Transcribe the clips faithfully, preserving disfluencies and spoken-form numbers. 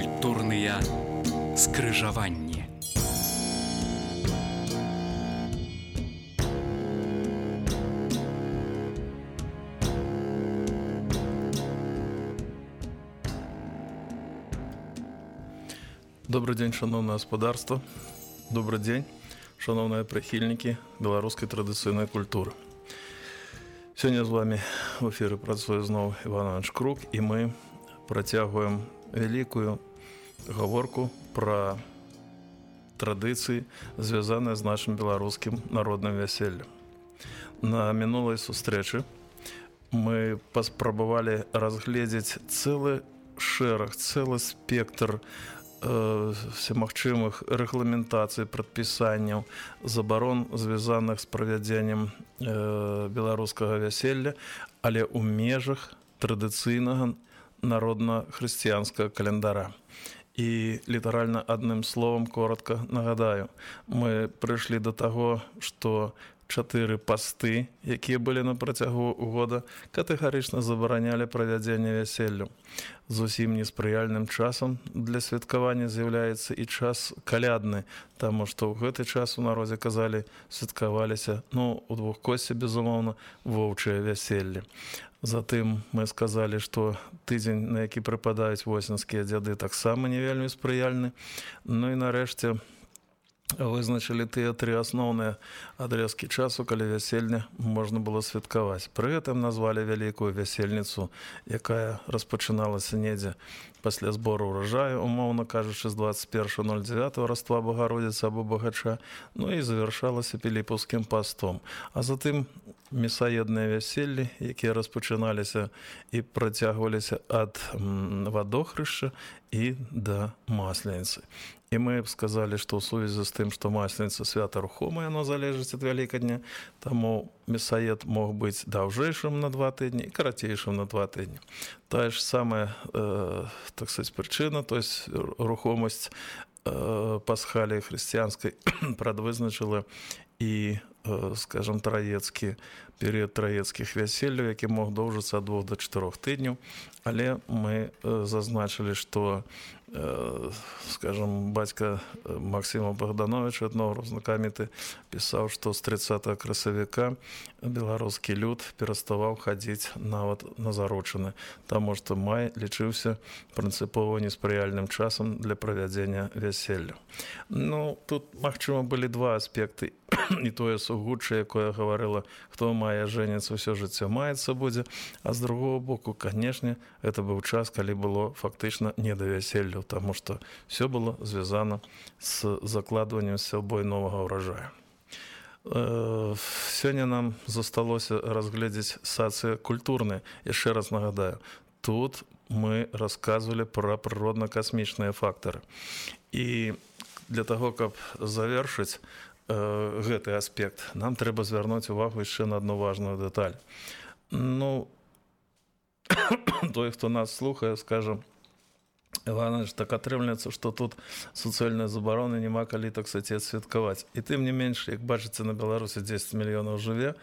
Культурныя скрыжаванні. Добрый дзень, шановное гаспадарства. Добрый дзень, шановныя прыхільнікі беларускай традыцыйнай культуры. Сёння з вами в эфіры працуе зноў Іван Іванович Крук, і мы працягваем вялікую гаворку пра традыцыі, звязаныя з нашым беларускім народным вяселлем. На мінулай сустрэчы мы паспрабавалі разгледзець цэлы шэраг, цэлы спектр всемагчымых рэгламентацый, прадпісанняў, забарон, звязаных з правядзеннем беларускага вяселля, але ў межах традыцыйнага народна-хрысціянскага календара. І літаральна адным словам коротка нагадаю, мы прыйшлі да таго, што чатыры пасты, якія былі на працягу года, катэгарычна забаранялі правядзенне вяселлю. Зусім неспрыяльным часам для святкавання з'яўляецца і час калядны, таму што ў гэты час у народзе казалі, святкаваліся, ну, у двухкосці, безумоўна, воўчыя вяселлі. Затым мы сказалі, што тыдзень, на які прыпадаюць восеньскія дзяды, таксама не вельмі спрыяльны. Ну і нарэшце вызначылі тыя тры асноўныя адрэзкі часу, калі вяселля можна было святкаваць. Пры гэтым назвалі вялікую вясельніцу, якая распачыналася недзе пасля збору ўраджаю, умоўна кажучы, з дваццаць першага ноль дзевятага Раства Багародзіцы або Багача, ну і завяршалася піліпаўскім пастом. А затым месаедныя вяселлі, якія распачыналіся і працягваліся ад вадохрышча і да масленіцы. І мы сказалі, што ў сувязі з тым, што масленіца свята рухомая, яно залежыць ад Вялікадня, таму месаед мог быць даўжэйшым на два тыдні і карацейшым на два тыдні. Тая ж самая, э, так сказаць, прычына, то есть рухомасць э, пасхаліі хрысціянскай прадвызначыла і, э, скажам, траецкі перыяд траецкіх вяселляў, які мог доўжыцца ад двух да чатырох тыдняў, але мы э, зазначылі, што скажем, бацька Максима Богдановича, этнограф знакаміты, пісаў, што з трыццатага красавіка беларускі люд пераставаў хадзіць нават на заручыны, таму што май лічыўся прынцыпова неспрыяльным часам для правядзення вяселля. Ну, тут, магчыма, былі два аспекты. І тое сугучча, якое гаварыла, хто мае жэніцца, ўсё жыццё маецца будзе, а з другого боку, канешне, гэта быў час, калі было фактычна не да вяселля, таму што ўсё было звязана з закладваннем сябой новага ўраджаю. Сёння нам засталося разгледзець сацыякультурныя. Яшчэ раз нагадаю, тут мы расказвалі пра прыродна-касмічныя фактары. І для таго, каб завершыць гэты аспект, нам трэба звярнуць увагу яшчэ на адну важную дэталь. Ну, той, хто нас слухае, скажа, Іванович, так атрымліваецца, што тут суцэльнай забароны няма калі, так сказаць, святкаваць. І тым не менш, як бачыце, на Беларусі дзесяць мільёнаў жыве,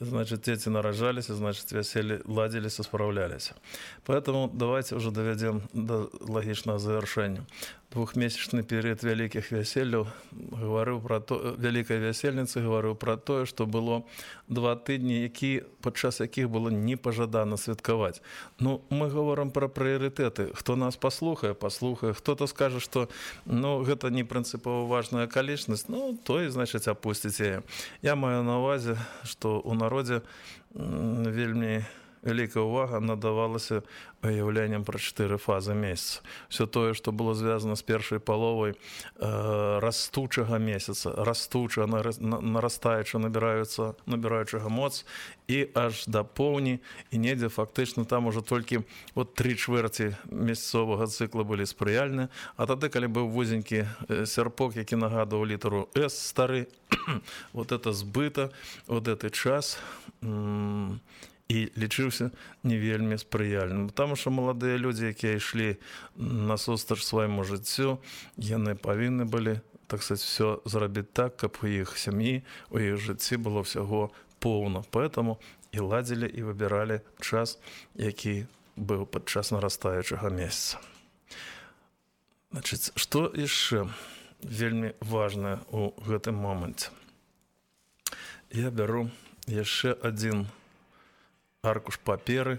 значит, дзеці нараджаліся, значит, вяселлі ладзіліся, спраўляліся. Поэтому давайте уже доведем до лагічнага завяршэння. Двухмесячны перыяд вялікіх вяселляў гаварыў пра то, вялікай вясельніцы гаварыў пра тое, што было два тыдні, які, падчас якіх было непажадана святкаваць. Ну, мы гаворым пра прыярытэты. Хто нас паслухае, паслухае. Хто-то скажа, што ну, гэта не прынцыпова важная акалічнасць, ну, той, значыць, апусціць яе. Я маю на ўвазе, што ў народзе вельмі вялікая ўвага надавалася выяўленнем пра чатыры фазы месяца. Все тое, што было звязана з першай паловай э, растучага месяца, растуча, нарастаюча, набіраюцца, набіраючага моц, і аж да поўні, і недзе фактычна там ужо толькі от тры чвэрці месяцовага цыкла былі спрыяльныя, а тады, калі быў вузенькі сярпок, які нагадваў літару С стары, вот это збыта, вот гэты час м- і лічыўся не вельмі спрыяльным. Таму што маладыя людзі, якія ішлі насустрач свайму жыццю, яны павінны былі, так сказаць, все зрабіць так, каб у іх сям'і, у іх жыцці было ўсяго поўна. Поэтому і ладзілі, і выбіралі час, які быў падчас нарастаючага месяца. Значыць, што яшчэ вельмі важнае ў гэтым моманце? Я бяру яшчэ адзін аркуш паперы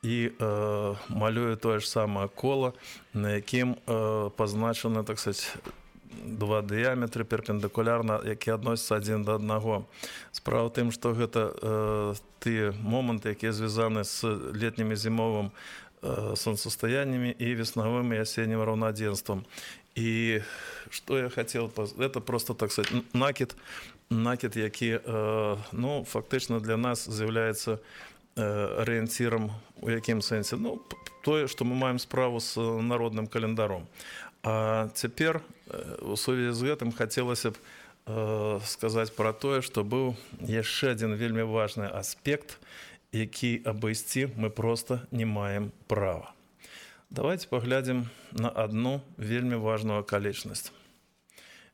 і э, малюю тое ж самае кола, на якім э, пазначаны, так сказать, два дыяметры перпендыкулярна, якія адносяцца адзін да аднаго. Справа ў тым, што гэта э, тыя моманты, якія звязаны з летнім і зімовым э, сонцастаяннямі і веснавым і асеннім раўнадзенствам. І што я хацеў, это просто, так сказать, накід, накід, які, э, ну, фактычна для нас з'яўляецца арыенцірам у якім сэнсе? Ну, тое, што мы маем справу з народным календаром. А цяпер у сувязі з гэтым хацелася б э, сказаць пра тое, што быў яшчэ адзін вельмі важны аспект, які абысці мы проста не маем права. Давайте паглядзім на адну вельмі важную акалічнасць.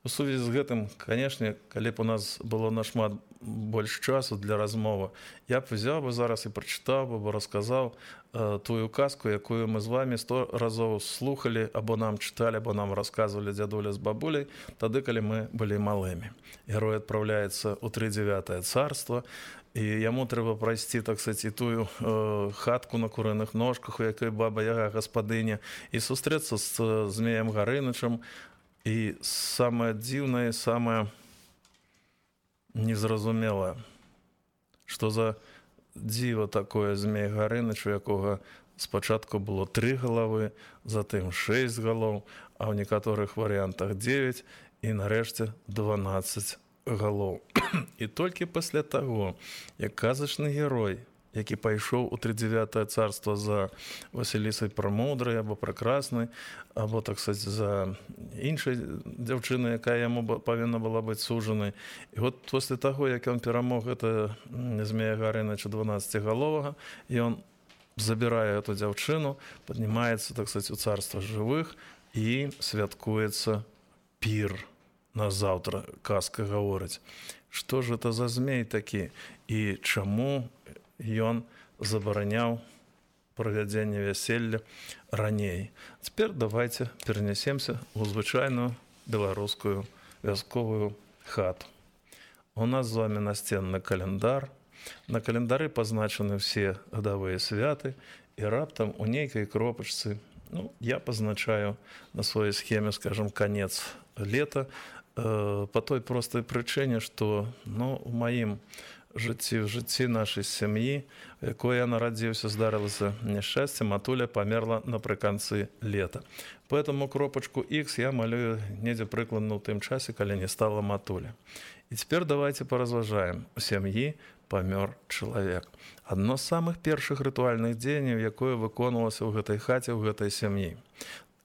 У сувязі з гэтым, канешне, калі б у нас было нашмат больш часу для размовы, я б взяў бы зараз і прачытаў бы, расказаў э, тую казку, якую мы з вами сто разоў слухалі, або нам чыталі, або нам расказвалі дзядуля з бабуляй, тады, калі мы былі малымі. Герой адпраўляецца ў тридзевятае царства, і яму трэба прайсці, так сказать, і тую э, хатку на курыных ножках, у якой баба-яга гаспадыня, і сустрэцца з змеем Гарынычам. І самае дзіўнае, самае незразумелае, што за дзіва такое змей Гарыныч, у якога спачатку было тры галавы, затым шэсць галоў, а ў некаторых варыянтах дзевяць і нарэшце дванаццаць галоў. І толькі пасля таго, як казачны герой, які пайшоў у тридзевятае царства за Васілісай Прамудрай або Пракраснай, або, так сказать, за іншай дзяўчынай, якая яму павінна была быць сужанай. І вот пасля таго, як ён перамог гэта змея Гарыныча дванаццацігаловага, ён забірае эту дзяўчыну, паднімаецца, так сказать, у царства жывых і святкуецца пір на заўтра. Казка гаворыць, што ж это за змей такі і чаму ён забараняў правядзенне вяселля раней. Цяпер давайте перенесемся ў звычайную беларускую вясковую хату. У нас з вами настенны календар. На календары пазначаны ўсе гадавыя святы, і раптам у нейкай кропачцы, ну, я пазначаю на сваёй схеме, скажем, канец лета, э, по той простай прычыне, што, ну, у маім жыцці, в жыцці нашай сям'і, у якой я нарадзіўся, здарылася няшчасце, матуля памерла напрыканцы лета. Поэтому кропачку X я малюю недзе прыкладна ў тым часе, калі не стала матуля. І цяпер давайте паразважаем. У сям'і памёр чалавек. Адно з самых першых рытуальных дзеянняў, якое выконвалася ў гэтай хаце, ў гэтай сям'і.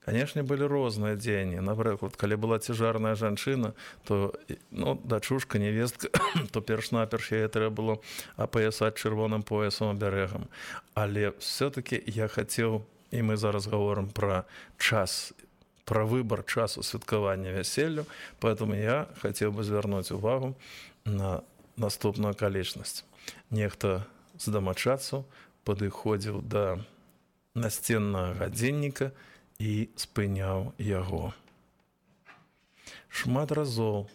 Канешне, былі розныя дзеянні. Напрыклад, калі была цяжарная жанчына, то, ну, дачушка, невестка, то перш-наперш яе трэба было апаясаць чырвоным поясам абярэгам. Але все-таки я хацеў, і мы зараз гаворым пра час, пра выбар часу святкавання вяселлю, поэтому я хацеў бы звярнуць увагу на наступную акалічнасць. Нехта з дамачадцаў падыходзіў да насценнага гадзінніка і спыняў яго. Шмат разоў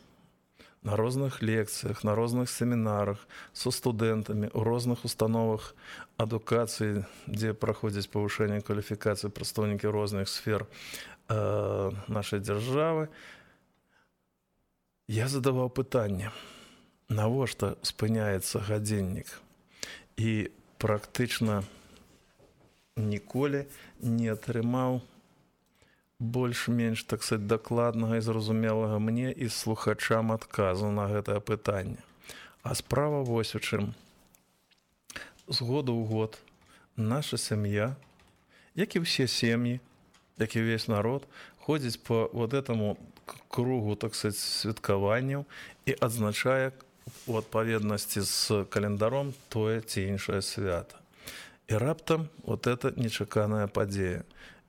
на розных лекцыях, на розных семінарах со студэнтамі, у розных установах адукацыі, дзе праходзяць павышэнне кваліфікацыі прадстаўнікі розных сфер э, нашай дзяржавы, я задаваў пытанне, навошта спыняецца гадзіннік? І практычна ніколі не атрымаў больш-менш, так сказать, дакладнага і зразумелага мне і слухачам адказу на гэтае пытанне. А справа вось у чым. З году ў год наша сям'я, як і ўсе сем'і, як і ўвесь народ, ходзіць по вот этому кругу, так сказать, святкаванняў і адзначае у адпаведнасці з календаром тое ці іншае свята. І раптам вот это нечаканая падзея.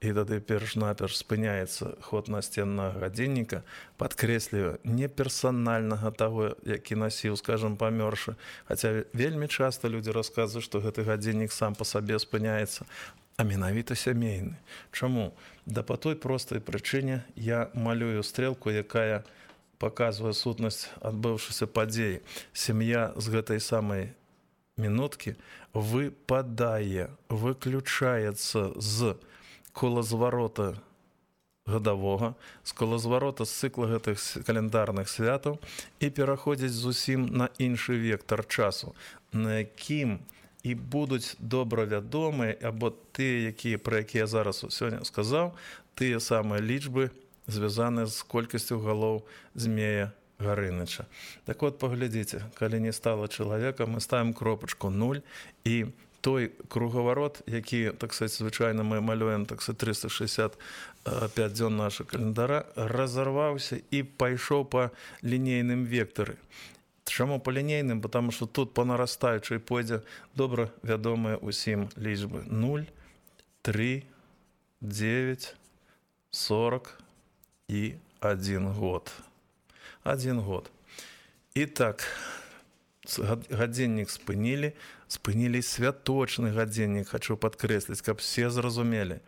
І тады перш-наперш спыняецца ход насценнага гадзінніка, падкрэслівае не персанальнага таго, які насіў, скажем, памёршы. Хаця вельмі часта людзі расказваюць, што гэты гадзіннік сам па сабе спыняецца. а менавіта сямейны. Чаму? Да па той простай прычыне я малюю стрэлку, якая паказвае сутнасць адбыўшыся падзеі. Сям'я з гэтай самай мінуткі выпадае, выключаецца з колазварота гадавога, з колазварота з цыкла гэтых календарных святаў і пераходзіць зусім на іншы вектар часу, на якім і будуць добра вядомыя, або тыя, якія, пра якія я зараз сёння сказаў, тыя самыя лічбы, звязаныя з колькасцю галоў змея Гарыныча. Так от, паглядзіце, калі не стала чалавека, мы ставім кропачку нуль, і той кругаварот, які, так сказать, звычайна мы малюем, так сказать, трыста шэсцьдзесят пяць дзён нашага календара, разарваўся і пайшоў па лінейным вектары. Чаму па лінейным? Потому што тут па нарастаючай пойдзе добра вядомыя ўсім лічбы. нуль, тры, дзевяць, сорок і адзін год. Адзін год. І так, гадзіннік спынілі, спынілі святочны гадзіннік, хачу падкрэсліць, каб все зразумелі.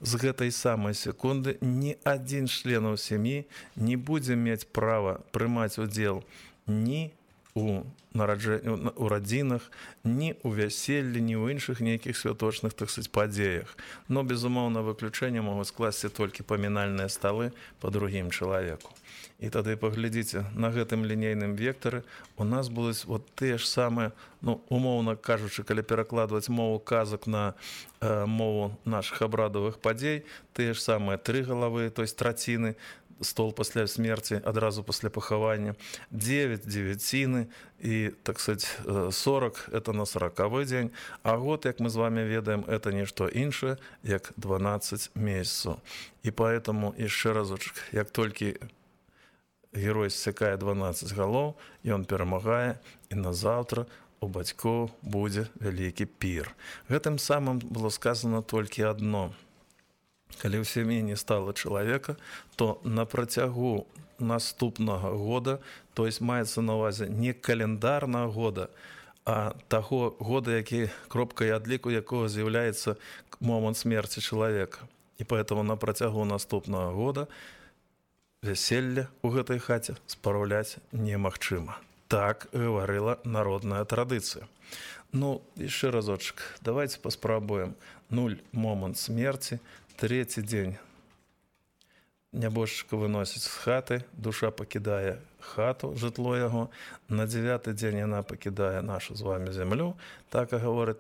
З гэтай самай секунды ні адзін з членаў сям'і не будзе мець права прымаць удзел ні у нараджэнні, у радзінах, ні ў вяселлі, ні ў іншых нейкіх святочных, так сказаць, падзеях. Но, безумоўна, выключэнне могуць скласці толькі памінальныя сталы па другім чалавеку. І тады паглядзіце, на гэтым лінейным вектары у нас будуць вот тыя ж самыя, ну, умоўна кажучы, калі перакладваць мову казак на э, мову нашых абрадавых падзей, тыя ж самыя тры галавы, то есть траціны, стол пасля смерці, адразу пасля пахавання, дзевяць дзевяціны і, так сказать, сорок – это на сорокавы дзень, а год, як мы з вами ведаем, это нішто іншае, як дванаццаць месяцаў. І поэтому, яшчэ разочак, як толькі герой ссякае дванаццаць галоў, ён перамагае, і назаўтра у бацькоў будзе вялікі пір. Гэтым самым было сказано толькі адно. Калі ў сям'і не стала чалавека, то на працягу наступнага года, то есть маецца на ўвазе не календарнага года, а таго года, які кропкай адліку якога з'яўляецца момант смерці чалавека. І поэтому на працягу наступнага года вяселля ў гэтай хаце спраўляць немагчыма. Так гаварыла народная традыцыя. Ну, яшчэ разочак, давайте паспрабуем. нуль – момант смерці, трэці дзень нябожчыка выносіць з хаты, душа пакідае хату, жытло яго, на дзевяты дзень яна пакідае нашу з вами зямлю, так і гаворыць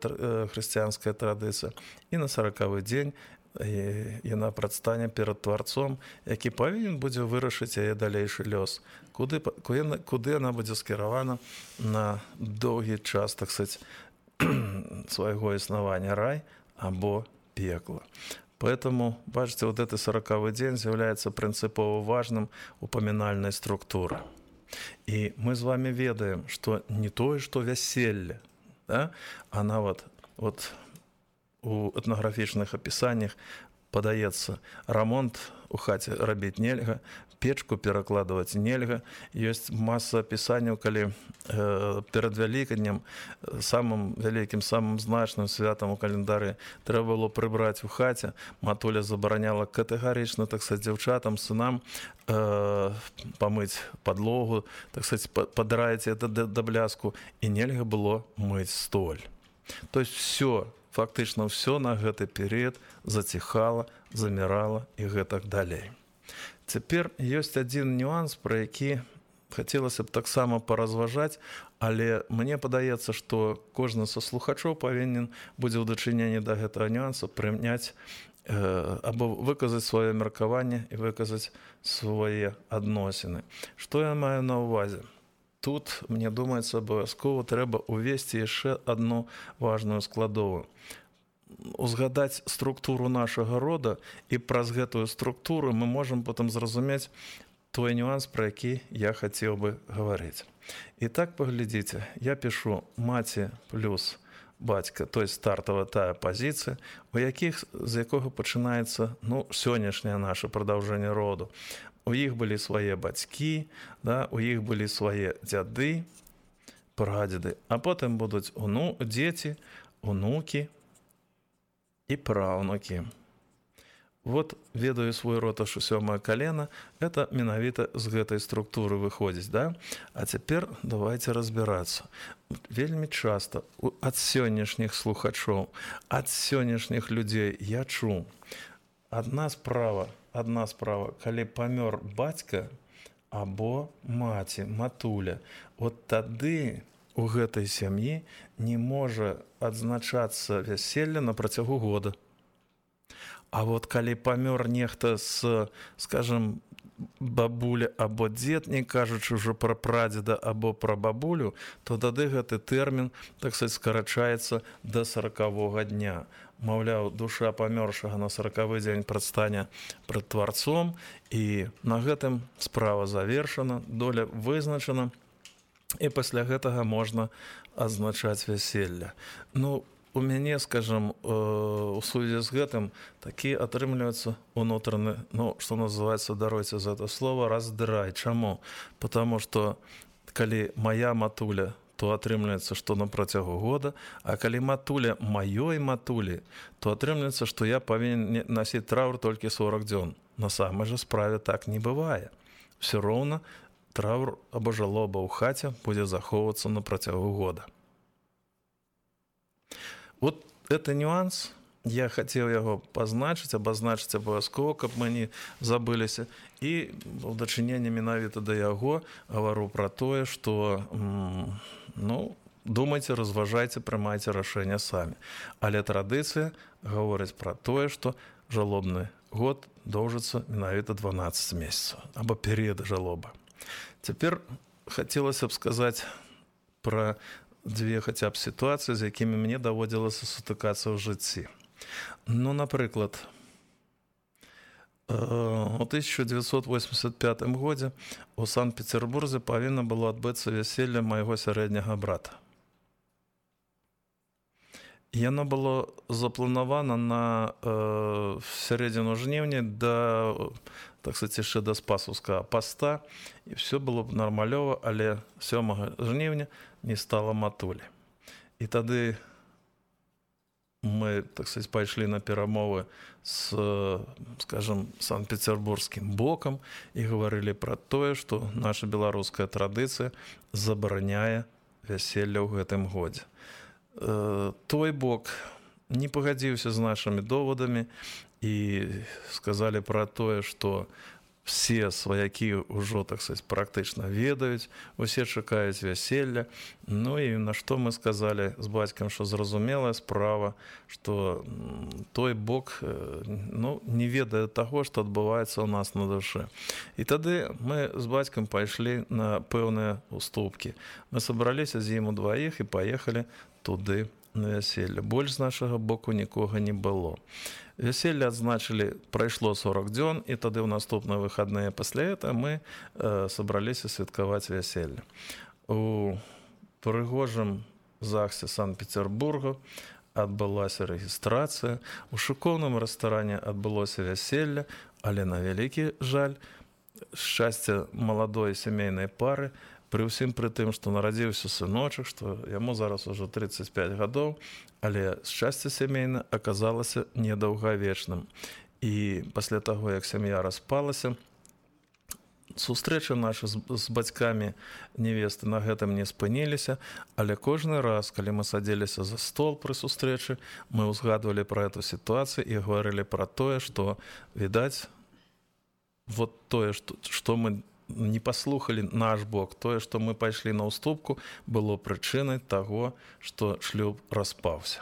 хрысціянская традыцыя, і на саракавы дзень яна прадстане перад тварцом, які павінен будзе вырашыць яе далейшы лёс, куды, куды яна будзе скіравана на доўгі час, так сказать, свайго існавання, рай або пекла. Поэтому, бачите, вот этот сороковой день является принципово важным у поминальной структуры. И мы с вами ведаем, что не то, что веселье, да, она вот, вот у этнографичных описаниях подается ремонт у хате робить нельга, печку перакладывать нельга. Есть масса опісанняў, калі э, перад Вялікаднем самым вялікім, самым значным святам у календары трэба было прыбраць у хаце. Матуля забараняла катэгарычна, так сказать, дзяўчатам, сынам э, памыць падлогу, так сказать, падраіць это да, да бляску, і нельга было мыць столь. То есть все, фактычна все на гэты перыяд заціхала, замірала і гэтак далей. Цяпер ёсць адзін нюанс, пра які хацелася б таксама паразважаць, але мне падаецца, што кожны са слухачоў павінен будзе ў дачыненні да гэтага нюанса прыняць э, або выказаць сваё меркаванне і выказаць свае адносіны. Што я маю на ўвазе? Тут, мне думаецца, абавязкова трэба увесці яшчэ адну важную складовую. Узгадаць структуру нашага рода, і праз гэтую структуру мы можам потым зразумець той нюанс, пра які я хацеў бы гаварыць. І так, паглядзіце, я пішу маці плюс бацька, то есть стартавая тая пазіцыя, у якіх, з якога пачынаецца, ну, сённяшняе наше прадаўжэнне роду. У іх былі свае бацькі, да, у іх былі свае дзяды, прадзеды, а потым будуць уну, дзеці, унукі, і праўнукі. Вот ведаю свой род аж у сёмае калена, это менавіта з гэтай структуры выходзіць, да? А цяпер давайте разбірацца. Вельмі часта ад сённяшніх слухачоў, ад сённяшніх людзей я чуў. Адна справа, адна справа, калі памёр бацька або маці, матуля, от тады у гэтай сям'і не можа адзначацца вяселле на працягу года. А вот калі памёр нехта з, скажем, бабуля або дзед, не кажучы ўжо пра прадзеда або пра бабулю, то тады гэты тэрмін, так сказать, скарачаецца да саракавога дня. Маўляў, душа памёршага на саракавы дзень прадстане пред тварцом, і на гэтым справа завершана, доля вызначана, і пасля гэтага можна адзначаць вяселле. Ну, у мяне, скажем, у сувязі з гэтым такі атрымліваецца унутраны, ну, што называецца, даруйце за это слово, раздрай. Чаму? Потому што калі моя матуля, то атрымліваецца, што на працягу года, а калі матуля маёй матулі, то атрымліваецца, што я павінен насіць траур толькі сорок дзён. На самай жа справе так не бывае. Все роўна траур або жалоба ў хаце будзе захоўвацца на працягу года. Вот это нюанс, я хотел его позначить, обозначить обовязково, каб мы не забыліся. І в дачыненні менавіта да яго гавару пра тое, што, ну, думайце, разважайце, прымайце рашэнне самі. Але традыцыя гаворыць пра тое, што жалобны год доўжыцца менавіта дванаццаць месяцаў, або перыяд жалоба. Цяпер хацелася б сказаць пра дзве хаця б сітуацыі, з якімі мне даводзілася сутыкацца ў жыцці. Ну, напрыклад, у тысяча девятьсот восемьдесят пятым годзе у Санкт-Петербурзе павінна было адбыцца вяселле майго сярэдняга брата. Яно было запланавана на э, сярэдзіну жніўня да, так сказать, яшчэ да спасаўскага паста, і все было б нармалёва, але сёмага жніўня не стала матулі. І тады мы, так сказать, пайшлі на перамовы з, скажем, санкт-петербургскім бокам і гаварылі пра тое, што наша беларуская традыцыя забараняе вяселле ў гэтым годзе. Той бок не пагадзіўся з нашымі довадамі і сказалі пра тое, што все сваякі ўжо, так сказать, практычна ведаюць, усе чакаюць вяселля. Ну і на што мы сказалі з бацькам, што зразумелая справа, што той бок, ну, не ведае таго, што адбываецца ў нас на душы. І тады мы з бацькам пайшлі на пэўныя уступкі. Мы сабраліся з ім удваіх і паехалі туды на вяселле. Больш з нашага боку нікога не было. Вяселле адзначылі, прайшло сорок дзён, і тады ў наступныя выхадныя пасля этого мы э, сабраліся святкаваць вяселле. У прыгожым захсе Санкт-Петербурга адбылася рэгістрацыя, у шыкоўным рэстаране адбылося вяселле, але на вялікі жаль, шчасце маладой сямейнай пары, пры ўсім пры тым, што нарадзіўся сыночак, што яму зараз ужо тридцать пять гадоў, але шчасце сямейна аказалася недаўгавечным. І пасля таго, як сям'я распалася, сустрэчы нашы з, з бацькамі невесты на гэтым не спыніліся, але кожны раз, калі мы садзіліся за стол пры сустрэчы, мы ўзгадвалі пра эту сітуацыю і гаварылі пра тое, што, відаць, вот тое, што, што мы не паслухалі наш бок, тое, што мы пайшлі на ўступку, было прычынай таго, што шлюб распаўся.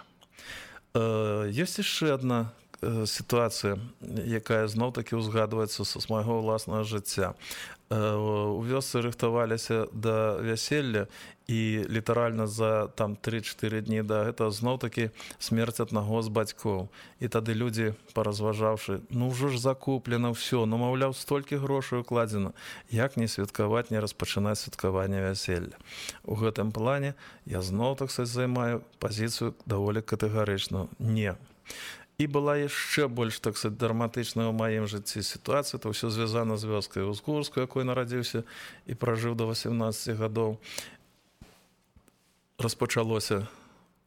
Э, ёсць яшчэ адна э, сітуацыя, якая зноў-такі ўзгадваецца з майго ўласнага жыцця. Э, у вёсцы рыхтаваліся да вяселля, і літаральна за там три-чатыры дні да гэта зноў-такі смерць аднаго з бацькоў. І тады людзі, паразважаўшы, ну ўжо ж закуплена ўсё, ну, маўляў, столькі грошай укладзена, як не святкаваць, не распачынаць святкаванне вяселля. У гэтым плане я зноў, так сказать, займаю пазіцыю даволі катэгарычную. Не. І была яшчэ больш, так сказать, драматычная ў маім жыцці сітуацыя, то ўсё звязана з вёскай Узгурскай, якой нарадзіўся і пражыў да восемнадцати гадоў. Распачалося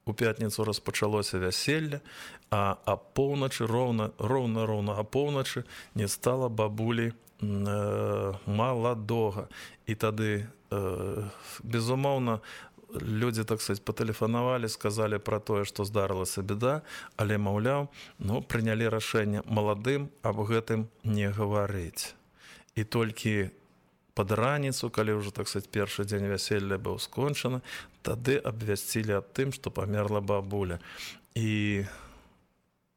у пятніцу распачалося вяселле, а апоўначы роўна роўна роўна апоўначы не стала бабулі э, маладога. І тады э, безумоўна людзі, так сказать, патэлефанавалі, сказалі пра тое, што здарылася беда, але, маўляў, ну, прынялі рашэнне маладым аб гэтым не гаварыць. І толькі пад раніцу, калі ўжо, так сказать, першы дзень вяселля быў скончаны, тады абвясцілі аб тым, што памерла бабуля. І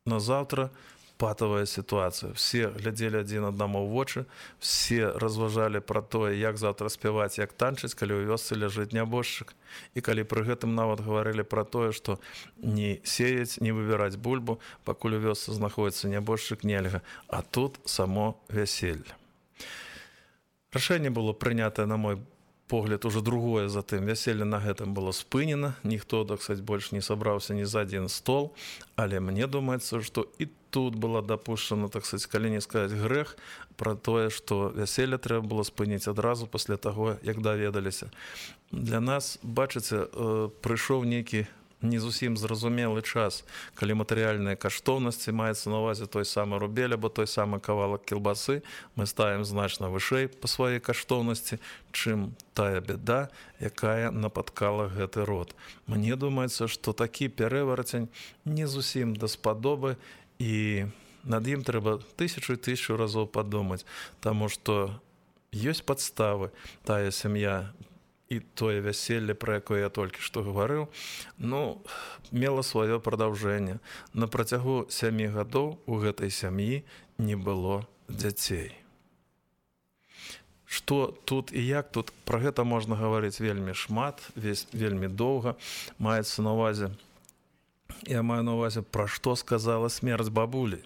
назаўтра патавая сітуацыя. Все глядзелі адзін аднаму ў вочы, все разважалі пра тое, як заўтра спяваць, як танчыць, калі ў вёсцы ляжыць нябожчык. І калі пры гэтым нават гаварылі пра тое, што не сеяць, не выбіраць бульбу, пакуль у вёсцы знаходзіцца нябожчык, нельга. А тут само вяселле. Рашэнне было прынятае, на мой погляд, уже другое затым. Вяселле на гэтым было спынена. Ніхто, так сказать, больш не сабраўся ні за адзін стол. Але мне думаецца, што і тут была дапушчана, так сказать, калі не сказаць грэх, пра тое, што вяселле трэба было спыніць адразу пасля таго, як даведаліся. Для нас, бачыце, прыйшоў нейкі не зусім зразумелы час, калі матэрыяльныя каштоўнасці, маецца на ўвазе той самы рубель або той самы кавалак кілбасы, мы ставім значна вышэй па сваёй каштоўнасці, чым тая беда, якая напаткала гэты род. Мне думаецца, што такі пераварацень не зусім даспадобы, і над ім трэба тысячу і тысячу разоў падумаць, таму што ёсць падставы, тая сям'я і тое вяселле, пра якое я толькі што гаварыў, ну, мела сваё прадаўжэнне. На працягу сямі гадоў у гэтай сям'і не было дзяцей. Што тут і як тут, пра гэта можна гаварыць вельмі шмат, весь, вельмі доўга. Маецца на ўвазе, я маю на ўвазе, пра што сказала смерць бабулі.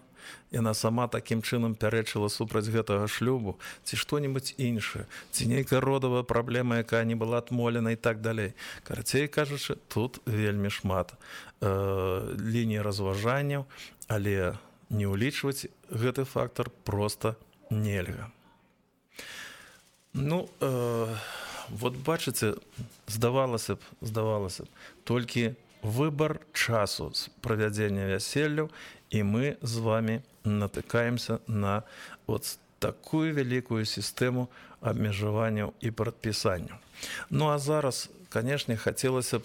Яна сама такім чынам пярэчыла супраць гэтага шлюбу, ці што-небудзь іншае, ці нейкая родавая праблема, якая не была адмолена і так далей. Карацей кажучы, тут вельмі шмат э, ліній разважанняў, але не ўлічваць гэты фактар проста нельга. Ну, э, вот бачыце, здавалася б, здавалася б, толькі выбар часу правядзення вяселляў, і мы з вами натыкаемся на вот такую вялікую сістэму абмежаванняў і прадпісанняў. Ну а зараз, канешне, хацелася б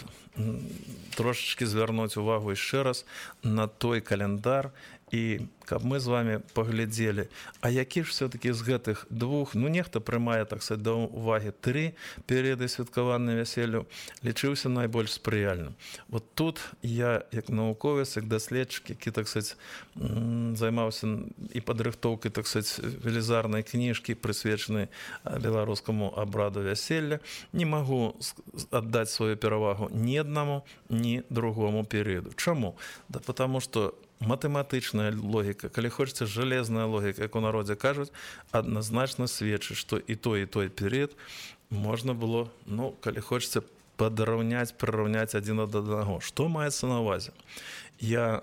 трошачкі звярнуць увагу яшчэ раз на той календар, і каб мы з вами паглядзелі, а які ж все-таки з гэтых двух, ну нехта прымае, так сказать, да увагі тры перыяды святкавання вяселлю, лічыўся найбольш спрыяльным. Вот тут я, як навуковец, як даследчык, які, так сказать, займаўся і падрыхтоўкай, так сказать, велізарнай кніжкі, прысвечанай беларускаму абраду вяселля, не магу аддаць сваю перавагу ні аднаму, ні другому перыяду. Чаму? Да потому что матэматычная логіка, калі хочаце, жалезная логіка, як у народзе кажуць, адназначна сведчыць, што і той, і той перыяд можна было, ну, калі хочаце, падраўняць, прыраўняць адзін ад аднаго. Што маецца на ўвазе? Я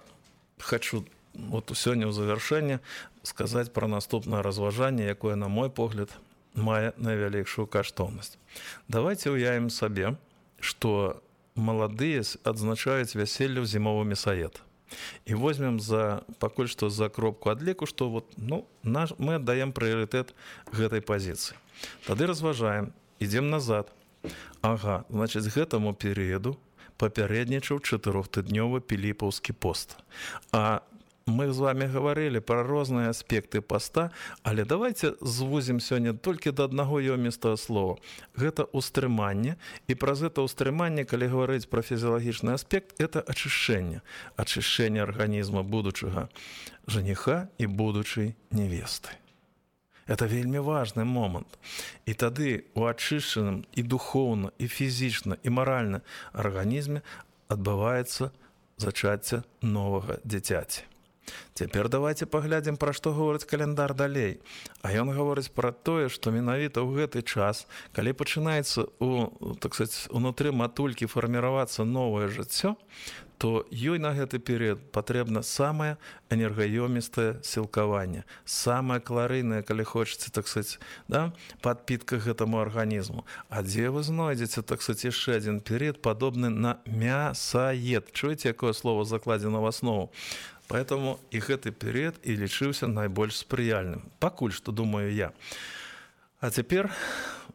хачу вот сёння ў завяршэнне сказаць пра наступнае разважанне, якое, на мой погляд, мае найвялікшую каштоўнасць. Давайце ўявім сабе, што маладыя адзначаюць вяселле ў зімовы мясаед. І возьмем за, пакуль што за кропку адліку, што вот, ну, наш, мы аддаем прыярытэт гэтай пазіцыі. Тады разважаем, ідзем назад. Ага, значыць, гэтаму перыяду папярэднічаў чатырохтыднёвы піліпаўскі пост. А мы з вами гаварылі пра розныя аспекты паста, але давайте звузім сёння толькі да аднаго ёмістага слова. Гэта ўстрыманне, і праз гэта ўстрыманне, калі гаварыць пра фізіялагічны аспект, это ачышчэнне. Ачышчэнне арганізма будучага жаніха і будучай невесты. Это вельмі важны момант. І тады у ачышчаным і духоўна, і фізічна, і маральна арганізме адбываецца зачацце новага дзіцяці. Цяпер давайте паглядзім, пра што гаворыць каляндар далей. А ён гаворыць пра тое, што менавіта ў гэты час, калі пачынаецца у, так сказаць, унутры матулькі фарміравацца новае жыццё, то ёй на гэты перыяд патрэбна самае энергаёмістае сілкаванне, самае каларыйнае, калі хочаце, так сказаць, да, падпітка гэтаму арганізму. А дзе вы знойдзеце, так сказаць, яшчэ адзін перыяд, падобны на мясаед. Чуеце, якое слово закладзена в аснову? Поэтому і гэты перыяд і лічыўся найбольш спрыяльным. Пакуль што, думаю я. А цяпер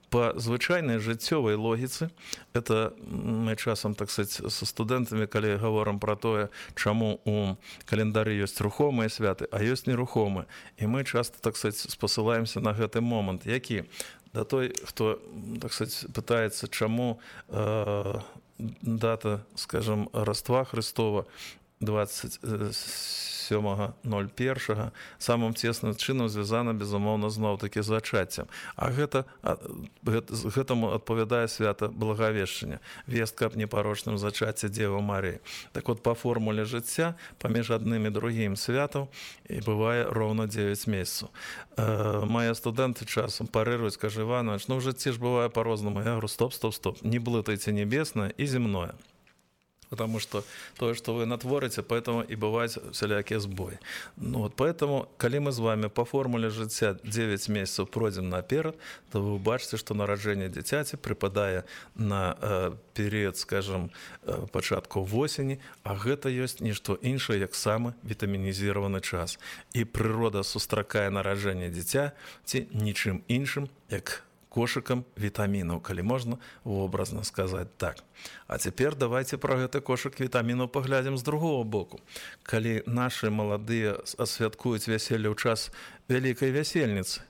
по звычайнай жыццёвай логіцы, это мы часам, так сказаць, са студэнтамі, калі гаворым пра тое, чаму у календары ёсць рухомыя святы, а ёсць нерухомыя. І мы часта, так сказаць, спасылаемся на гэты момант, які да той, хто, так сказаць, пытаецца, чаму э, дата, скажем, Раства Христова двадцать сёмага ноль першага самым цесным чынам звязана, безумоўна, зноў-такі з зачаццем. А гэта, гэта, гэтаму адпавядае свята Благавешчання, вестка аб непарочным зачацці Дзевы Марыі. Так вот, па формуле жыцця, паміж адным і другім святаў і бывае роўна дзевяць месяцаў. Э, мае студэнты часам парыруюць, кажа, Іванович, ну ў жыцці ж бывае па-рознаму. Я говорю, стоп, стоп, стоп, не блытайце небеснае і земное. Потому что то, что вы натворите, поэтому и бывают всякие сбои. Ну, вот поэтому, когда мы с вами по формуле життя девять месяцев пройдем наперед, то вы убачите, что народжение дитяти припадает на э, период, скажем, э, початку осени, а это есть не что инше, как самый витаминизированный час. И природа сустракае народжение дитя ничем иншим, как кошыкам вітамінаў, калі можна вобразна сказаць так. А цяпер давайте пра гэты кошык вітамінаў паглядзім з другого боку. Калі нашы маладыя асвяткуюць вяселле ў час вялікай вясельніцы,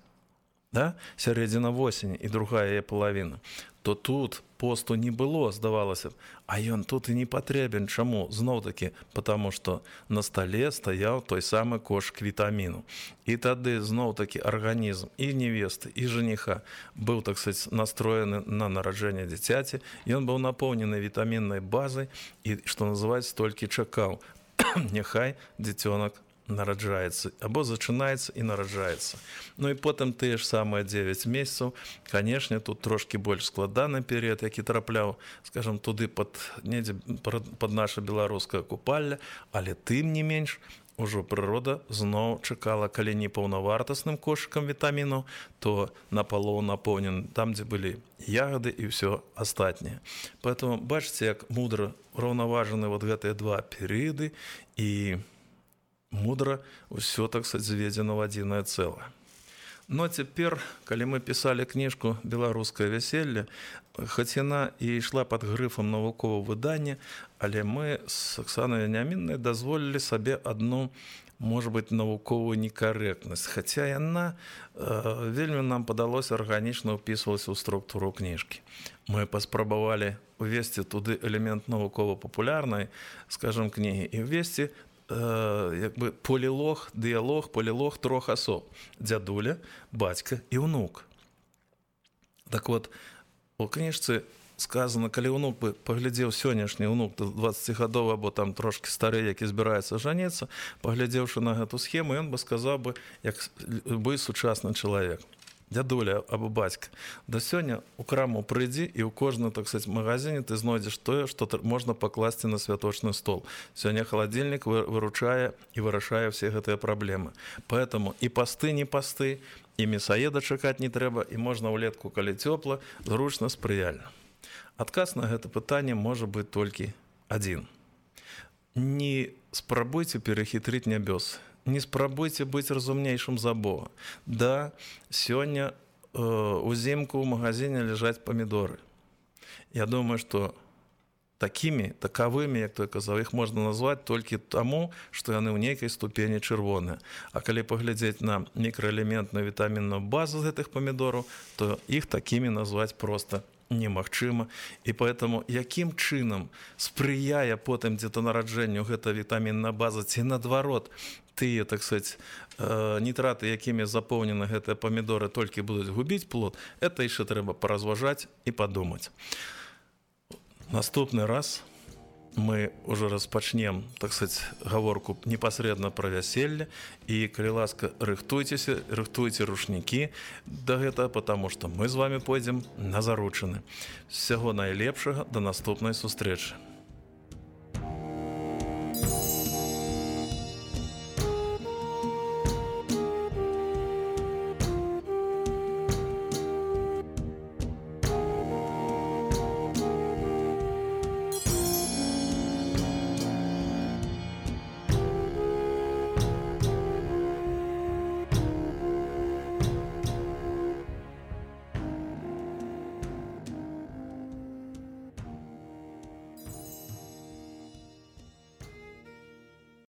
да? Сярэдзіна восені і другая яе палавіна, то тут посту не было, здавалася б, а ён тут і не патрэбен. Чаму? Зноў-такі, потому што на стале стаяў той самы кошык вітаміну. І тады зноў-такі арганізм і невесты, і жаніха быў, так сказаць, настроены на нараджэнне дзіцяці, ён быў напоўнены вітаміннай базай і, што называецца, толькі чакаў. Няхай дзіцёнак нараджаецца, або зачынаецца і нараджаецца. Ну і потым тыя ж самыя дзевяць месяцаў, канешне, тут трошкі больш складаны перыяд, які трапляў, скажам, туды пад, недзе, пад наша беларускае купалле, але тым не менш, ужо прырода зноў чакала, калі не паўнавартасным кошыкам вітамінаў, то напалоў напоўнен там, дзе былі ягады і ўсё астатняе. Поэтому бачыце, як мудра раўнаважаны вот гэтыя два перыяды, і мудра ўсё, так сказаць, зведзена ў адзінае цэлае. Но цяпер, калі мы пісалі кніжку «Беларускае вяселле», хоць яна і ішла пад грыфам навуковага выдання, але мы з Аксанай Веніаміннай дазволілі сабе адну, можа быць, навуковую некарэктнасць, хаця яна э, вельмі нам падалося арганічна ўпісвалася ў структуру кніжкі. Мы паспрабавалі увесці туды элемент навукова-папулярнай, скажам, кнігі, і увесці як бы полілог, дыялог, полілог трох асоб. Дзядуля, бацька і ўнук. Так вот, у кніжцы сказано, калі ўнук бы паглядзеў сённяшні ўнук дваццацігадовы або там трошки стары, які збіраецца жаніцца, паглядзеўшы на гэту схему, ён бы сказаў бы, як любы сучасны чалавек. Дзядуля або бацька, да сёння у краму прыйдзі і ў кожным, так сказаць, магазине ты знойдзеш тое, што можна пакласці на святочны стол. Сёння халадзільнік выручае і вырашае все гэтыя праблемы. Поэтому і пасты не пасты, і мясаеда чакаць не трэба, і можна ўлетку, калі цёпла, зручна, спрыяльна. Адказ на гэта пытанне можа быць толькі адзін. Не спрабуйце перахітрыць нябёсы. Не спрабуйце быць разумнейшым за Бога. Да, сёння э, узімку ў магазине ляжаць памідоры. Я думаю, што такімі, такавымі, як той казаў, іх можна назваць толькі таму, што яны ў нейкай ступені чырвоныя. А калі паглядзець на мікраэлементную вітамінную базу з гэтых памідораў, то іх такімі назваць проста немагчыма. І поэтому якім чынам спрыяе потым дзе-то нараджэнню гэта вітамінная база, ці наадварот, тыя, так сказаць, нітраты, якімі запоўнены гэтыя памідоры, толькі будуць губіць плод, это яшчэ трэба паразважаць і падумаць. Наступны раз мы уже распачнем, так сказать, гаворку непасрэдна пра вяселле, і калі ласка, рыхтуйцеся, рыхтуйце рушнікі да гэтага, потому што мы з вами пойдзем на заручыны. Всяго найлепшага, да наступнай сустрэчы.